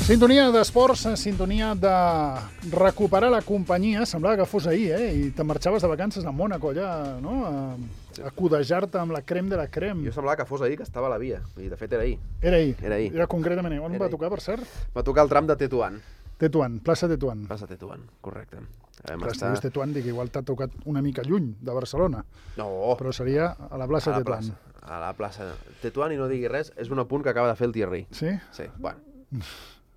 Sintonia d'esports, sintonia de recuperar la companyia. Semblava que fos ahir, i te'n marxaves de vacances a Mònaco, allà, no? A codejar-te amb la crème de la crème. Jo semblava que fos ahir, que estava a la via. I de fet era ahir. Era ahir? Era ahir. Era concretament ahir. On va tocar, per cert? Va tocar el tram de Tetuan. Tetuan, plaça Tetuan. Plaça Tetuan, correcte. Clar, si dius Tetuan, dic, igual t'ha tocat una mica lluny de Barcelona. No. Però seria a la plaça Tetuan. A la plaça Tetuan, i no digui res, és un apunt que acaba de fer el Thierry. Sí? Sí, bueno.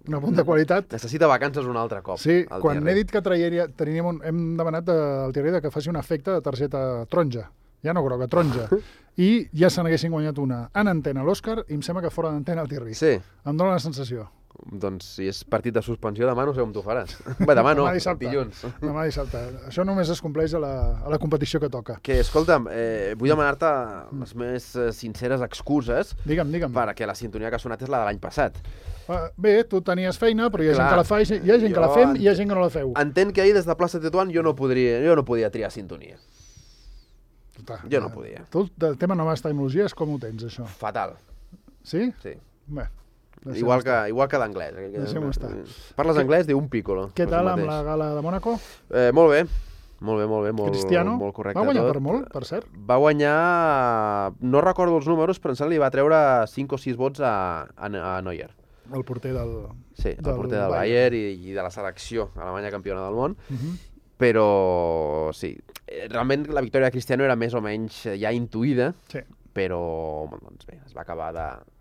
Un apunt de qualitat. Necessita vacances un altre cop. Sí, quan he dit que hem demanat al Thierry que faci un efecte de targeta taronja. Ja no groga, taronja. I ja se n'haguessin guanyat una en antena a l'Òscar i em sembla que fora d'antena el Thierry. Sí. Em dóna la sensació. Doncs si és partit de suspensió, demà no sé com t'ho faràs. Bé, demà no, dilluns. Demà dissabte. Això només es compleix a la competició que toca. Que, escolta'm, vull demanar-te les més sinceres excuses. Digue'm. Perquè la sintonia que ha sonat és la de l'any passat. Bé, tu tenies feina, però hi ha gent que la fa, hi ha gent que la fem i hi ha gent que no la feu. Entenc que ahir des de plaça Tetuan jo no podia triar sintonia. Jo no podia. Tu el tema noves tecnologies, com ho tens, això? Fatal. Sí? Sí. Bé. Igual que d'anglès. Deixem-ho estar. Parles anglès, diu un piccolo. Què tal amb la gala de Mònaco? Molt bé. Molt Cristiano? Molt correcte. Va guanyar per molt, per cert? Va guanyar... No recordo els números, però em sembla que li va treure 5 o 6 vots a Neuer. El porter del... Sí, el porter del Bayern i de la selecció alemanya campiona del món. Però, sí, realment la victòria de Cristiano era més o menys ja intuïda, però doncs bé, es va acabar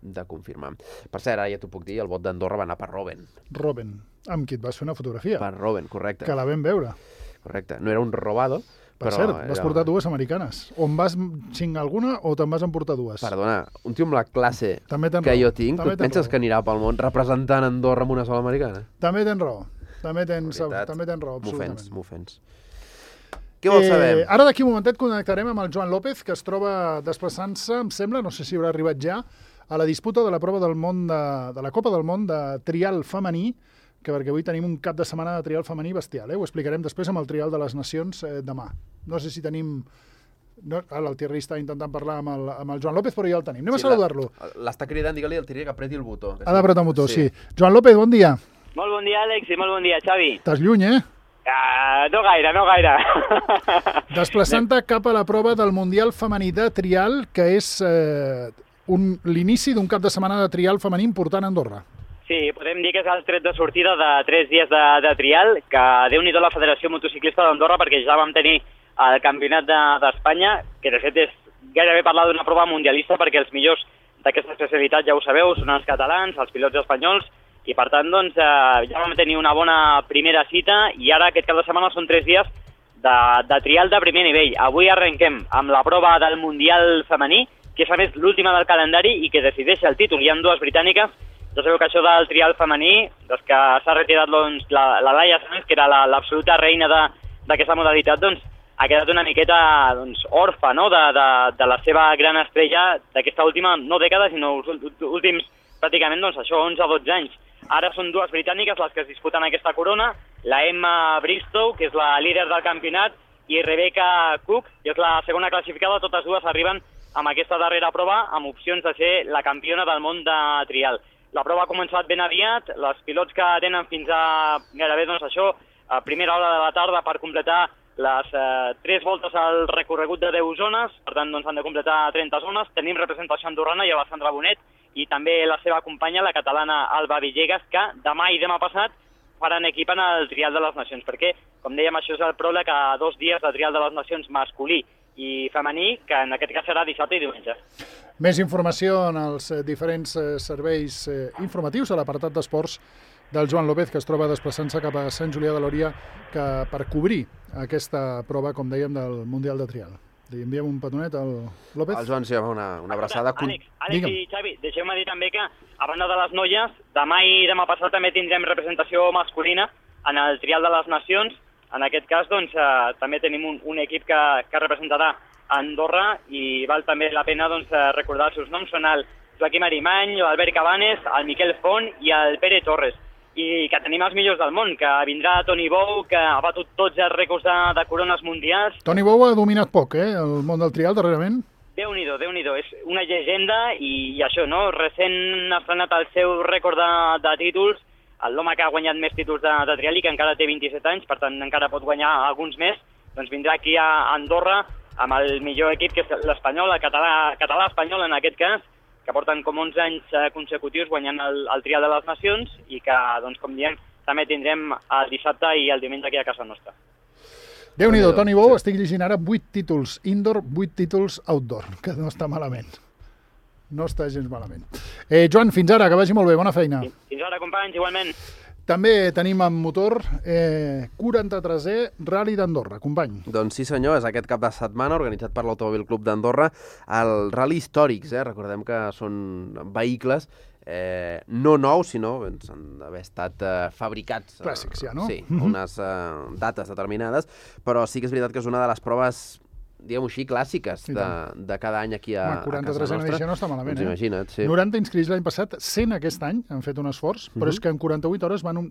de confirmar. Per cert, ara ja t'ho puc dir, el vot d'Andorra va anar per Robben. Robben, amb qui et vas fer una fotografia. Per Robben, correcte. Que la vam veure. Correcte, no era un robado. Per cert, vas portar dues americanes. O en vas xingar alguna o te'n vas emportar dues? Perdona, un tio amb la classe que jo tinc, tu et penses que anirà pel món representant Andorra amb una sola americana? També tens raó. També tens raó, absolutament. M'ofens. Què vols saber? Ara d'aquí un momentet connectarem amb el Joan López, que es troba desplaçant-se, em sembla, no sé si haurà arribat ja, a la disputa de la prova del món de la Copa del Món de trial femení, perquè avui tenim un cap de setmana de trial femení bestial. Ho explicarem després amb el trial de les nacions demà. No sé si tenim... Ara el Thierry està intentant parlar amb el Joan López, però ja el tenim. Anem a saludar-lo. L'està cridant, digue-li al Thierry que apreti el botó. Ha d'apretar el botó, sí. Joan López, bon dia. Molt bon dia, Àlex, i molt bon dia, Xavi. Estàs lluny, No gaire. Desplaçant-te cap a la prova del Mundial Femení de Trial, que és l'inici d'un cap de setmana de trial femení important a Andorra. Sí, podem dir que és el tret de sortida de 3 dies de trial, que Déu-n'hi-do la Federació Motociclista d'Andorra, perquè ja vam tenir el Campionat d'Espanya, que de fet és gairebé parlar d'una prova mundialista, perquè els millors d'aquesta especialitat, ja ho sabeu, són els catalans, els pilots espanyols, i per tant doncs, ja vam tenir una bona primera cita, i ara aquest cap de setmana són 3 dies de trial de primer nivell. Avui arrenquem amb la prova del Mundial femení, que és a més l'última del calendari i que decideix el títol. Hi ha 2 britàniques. Ja sabeu que això del trial femení, doncs que s'ha retirat doncs, la Laia Sanz, que era l'absoluta reina d'aquesta modalitat, doncs ha quedat una miqueta doncs, orfa, no? de la seva gran estrella d'aquesta última, no dècada, sinó els últims pràcticament doncs, això, 11 o 12 anys. Ara són 2 britàniques les que es disputen aquesta corona, la Emma Bristow, que és la líder del campionat, i Rebecca Cook, que és la segona classificada. Totes dues arriben amb aquesta darrera prova amb opcions de ser la campiona del món de trial. La prova ha començat ben aviat, els pilots que tenen fins a gairebé doncs això, a primera hora de la tarda per completar les 3 voltes al recorregut de 10 zones, per tant doncs, han de completar 30 zones. Tenim representació andorrana, hi ha la Sandra Bonet i també la seva companya, la catalana Alba Villegas, que demà i demà passat faran equip en el Trial de les Nacions, perquè, com dèiem, això és el pròleg a 2 dies de Trial de les Nacions masculí i femení, que en aquest cas serà dissabte i diumenge. Més informació en els diferents serveis informatius a l'apartat d'esports del Joan López, que es troba desplaçant-se cap a Sant Julià de Lòria per cobrir aquesta prova, com dèiem, del Mundial de Trial. Li enviem un petonet al López. El Joan s'hi va una abraçada. Àlex i Xavi, deixeu-me dir també que, a banda de les noies, demà i demà passat també tindrem representació masculina en el Trial de les Nacions. En aquest cas, doncs, també tenim un equip que representarà Andorra i val també la pena doncs, recordar els seus noms. Són el Joaquim Arimany, l'Albert Cabanes, el Miquel Font i el Pere Torres. I que tenim els millors del món, que vindrà Toni Bou, que ha batut tots els rècords de corones mundials. Toni Bou ha dominat poc, el món del trial, darrerament. Déu-n'hi-do, és una llegenda i això, no? Recent ha estrenat el seu rècord de títols l'home que ha guanyat més títols de trial i que encara té 27 anys, per tant encara pot guanyar alguns més, doncs vindrà aquí a Andorra amb el millor equip, que és l'Espanyol, el català-espanyol en aquest cas, que porten com 11 anys consecutius guanyant el Trial de les Nacions i que, doncs, com diem, també tindrem el dissabte i el diumenge aquí a casa nostra. Déu-n'hi-do, Toni Bou, estic llegint ara 8 títols indoor, 8 títols outdoor, que no està malament. No està gens malament. Joan, fins ara, que vagi molt bé, bona feina. Fins ara, companys, igualment. També tenim en motor 43è Rally d'Andorra, company. Doncs sí senyor, és aquest cap de setmana organitzat per l'Automòbil Club d'Andorra, el Rally Històrics, recordem que són vehicles no nous, sinó han d'haver estat fabricats. Clàssics ja, no? Sí, unes dates determinades, però sí que és veritat que és una de les proves, diguem-ho així, clàssiques de cada any aquí a casa nostra. 43a edició no està malament, doncs imagina't, sí. 90 inscrits l'any passat, 100 aquest any, han fet un esforç, però és que en 48 hores van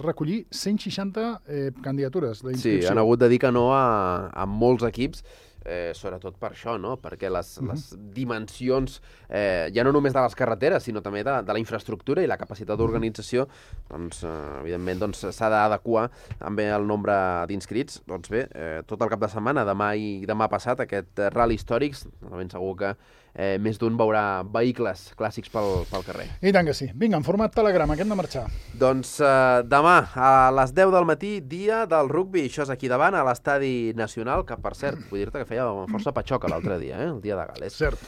recollir 160 candidatures d'inscripció. Sí, han hagut de dir que no a molts equips, sobretot per això, no? Perquè les dimensions, ja no només de les carreteres, sinó també de la infraestructura i la capacitat d'organització, doncs, evidentment, s'ha d'adequar també el nombre d'inscrits. Doncs bé, tot el cap de setmana, demà i demà passat, aquest Rally Històrics, ben segur que més d'un veurà vehicles clàssics pel carrer. I tant que sí. Vinga, en format telegrama, que hem de marxar. Doncs demà, a les 10 del matí, dia del rugbi. Això és aquí davant, a l'Estadi Nacional, que per cert, vull dir-te que feia força patxoca l'altre dia, el dia de Gal·les. Cert.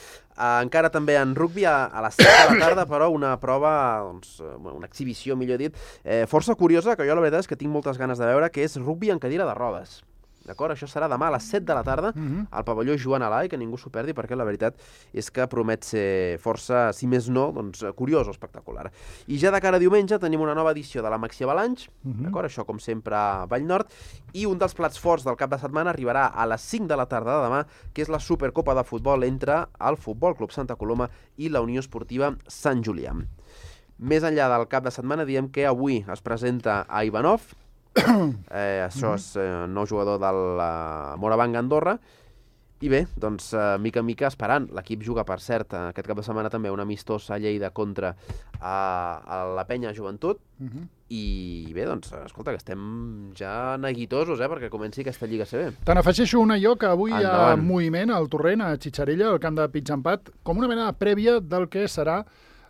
Encara també en rugbi, a les 7 de la tarda, però una prova, doncs, una exhibició, millor dit, força curiosa, que jo la veritat és que tinc moltes ganes de veure, que és rugbi en cadira de rodes. D'acord? Això serà demà a les 7 de la tarda al pavelló Joan Alai, que ningú s'ho perdi, perquè la veritat és que promet ser força, si més no, doncs, curiós o espectacular. I ja de cara a diumenge tenim una nova edició de la Maxi Avalanche, d'acord? Això, com sempre, a Vallnord, i un dels plats forts del cap de setmana arribarà a les 5 de la tarda de demà, que és la Supercopa de Futbol entre el Futbol Club Santa Coloma i la Unió Esportiva Sant Julià. Més enllà del cap de setmana, diem que avui es presenta a Ivanov, això és nou jugador del Morabanc Andorra, i bé, doncs, mica en mica esperant. L'equip juga, per cert, aquest cap de setmana també un amistós a Lleida contra a la Penya Joventut, i bé, doncs, escolta, que estem ja neguitosos, perquè comenci aquesta Lliga CB. Te n'afegeixo una jo, que avui hi ha moviment al Torrent, a Xitxarella, al camp de Pitxampat, com una mena de prèvia del que serà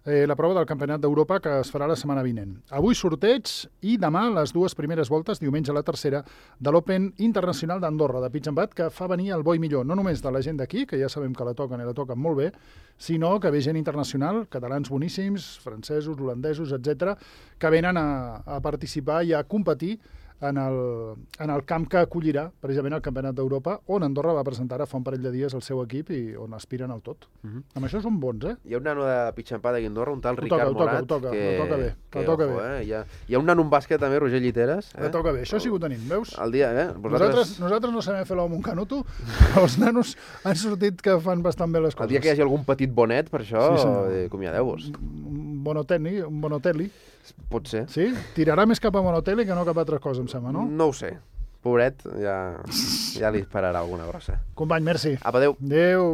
la prova del Campionat d'Europa, que es farà la setmana vinent. Avui sorteig i demà les dues primeres voltes, diumenge la tercera, de l'Open Internacional d'Andorra, de Pitxampat, que fa venir el bo i millor, no només de la gent d'aquí, que ja sabem que la toquen i la toquen molt bé, sinó que ve gent internacional, catalans boníssims, francesos, holandesos, etc., que venen a participar i a competir en el camp que acollirà precisament el Campionat d'Europa, on Andorra va presentar fa un parell de dies el seu equip i on aspiren al tot. Amb això són bons, Hi ha un nano de Pitxampat d'aquí a Andorra, un tal Ricard Morat. Ho toca bé. Hi ha un nano en bàsquet també, Roger Lliteres. Ho toca bé, això sí que ho tenim, veus? El dia, Nosaltres no sabem fer l'home un canuto, però els nanos han sortit que fan bastant bé les coses. El dia que hi hagi algun petit bonet, per això, acomiadeu-vos. Un Bonotelli. Pot ser. Sí? Tirarà més cap a Bonotelli que no cap a altra cosa, em sembla, no? No ho sé. Pobret, ja li esperarà alguna grossa. Company, merci. Apa, adéu. Adéu.